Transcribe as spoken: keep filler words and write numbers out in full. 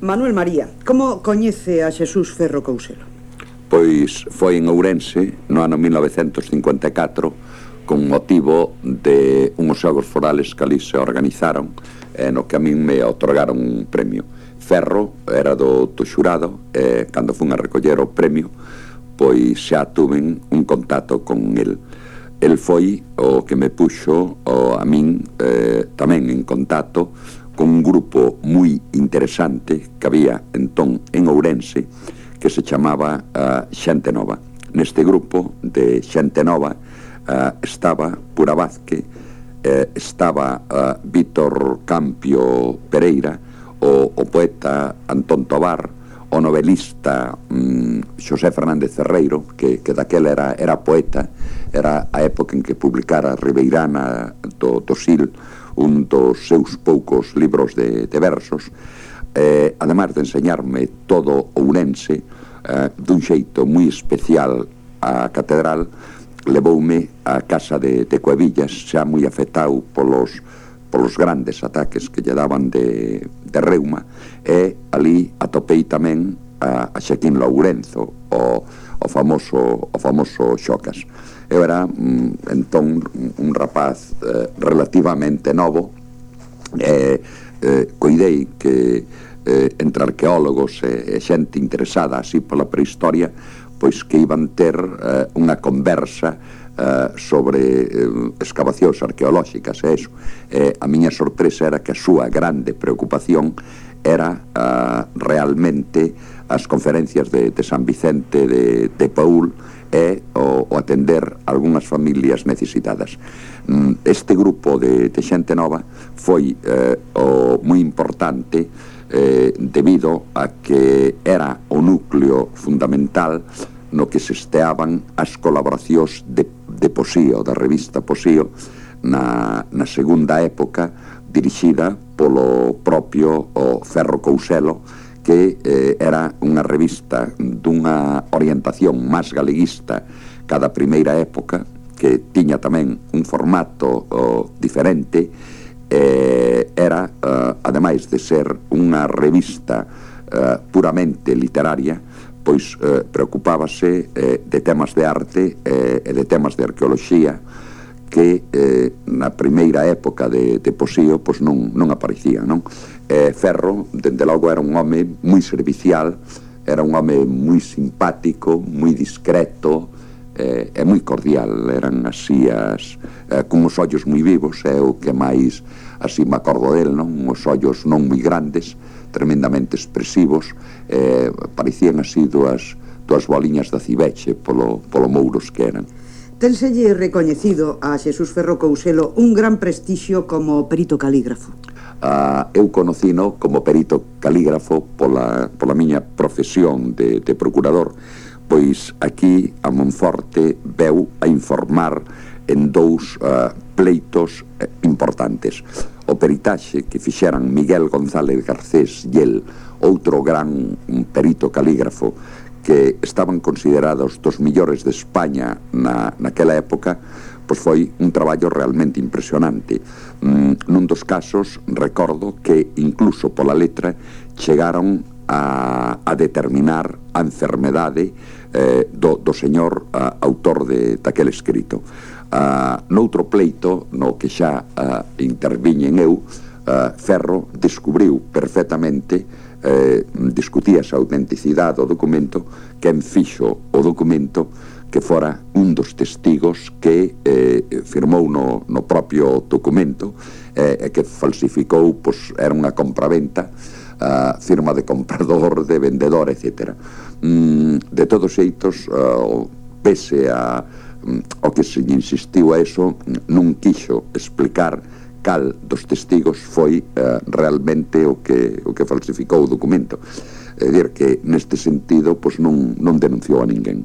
Manuel María, como coñece a Xesús Ferro Couselo? Pois foi en Ourense no ano mil novecentos cincuenta e catro con motivo de unhos xogos forales que ali se organizaron e no que a min me otorgaron un premio. Ferro era do, do xurado e cando fun a recoller o premio pois xa tuven un contacto con el. El foi o que me puxo o, a min eh, tamén en contacto con un grupo moi interesante que había entón en Ourense que se chamaba uh, Xente Nova. Neste grupo de Xente Nova uh, estaba Pura Vázquez, eh, estaba uh, Vítor Campio Pereira, o, o poeta Antón Tobar, o novelista um, Xosé Fernández Ferreiro, que, que daquela era, era poeta, era a época en que publicara Ribeirana do, do Sil, un dos seus poucos libros de, de versos, eh, además de enseñarme todo Ourense, eh, dun xeito moi especial a catedral, levoume a casa de, de Cuevillas, xa moi afectado polos, polos grandes ataques que lle daban de, de reuma, e ali atopei tamén a, a Xaquín Lourenzo, o, o famoso o famoso Xocas. Eu era mm, entón un rapaz eh, relativamente novo, e eh, coidei que eh, entre arqueólogos e, e xente interesada así pola prehistoria, pois que iban ter eh, unha conversa eh, sobre eh, excavacións arqueolóxicas e eso. Eh, a miña sorpresa era que a súa grande preocupación era eh, realmente as conferencias de, de San Vicente de, de Paúl e o, o atender algunhas familias necesitadas. Este grupo de, de Xente Nova foi eh, o moi importante eh, debido a que era o núcleo fundamental no que se esteaban as colaboracións de, de Posío, da revista Posío, na, na segunda época, dirixida polo propio o Ferro Couselo, que eh, era unha revista dunha orientación máis galeguista cada primeira época, que tiña tamén un formato oh, diferente, eh, era, eh, ademais de ser unha revista eh, puramente literaria, pois eh, preocupábase eh, de temas de arte eh, e de temas de arqueoloxía que eh, na primeira época de, de Posío pois non, non aparecía, non? Eh, Ferro, dende logo, era un home moi servicial, era un home moi simpático, moi discreto eh, e moi cordial. Eran así as, eh, con os ollos moi vivos, é o que máis así me acordo del, non? Os ollos non moi grandes, tremendamente expresivos, eh, parecían así dúas, dúas boliñas da cibeche polo, polo mouros que eran. Ténselle recoñecido a Xesús Ferro Couselo un gran prestixio como perito calígrafo. Uh, eu conocino como perito calígrafo pola, pola miña profesión de, de procurador, pois aquí a Monforte veu a informar en dous uh, pleitos eh, importantes. O peritaxe que fixeran Miguel González Garcés e el, outro gran perito calígrafo, que estaban considerados dos millores de España na, naquela época, pois foi un traballo realmente impresionante. Mm, nun dos casos, recordo que incluso pola letra chegaron a, a determinar a enfermedade eh, do, do señor uh, autor de daquele escrito. Uh, noutro pleito, no que xa uh, interviñen eu, uh, Ferro descubriu perfectamente, Eh, discutíase a autenticidade do documento, quen fixo o documento que fora un dos testigos que eh, firmou no, no propio documento e eh, que falsificou, pois era unha compraventa, uh, firma de comprador, de vendedor, etcétera. Mm, de todos xeitos, uh, pese a um, o que se insistiu a eso, non quixo explicar cal dos testigos foi uh, realmente o que, o que falsificou o documento. É dicir, que neste sentido pois non, non denunciou a ninguén.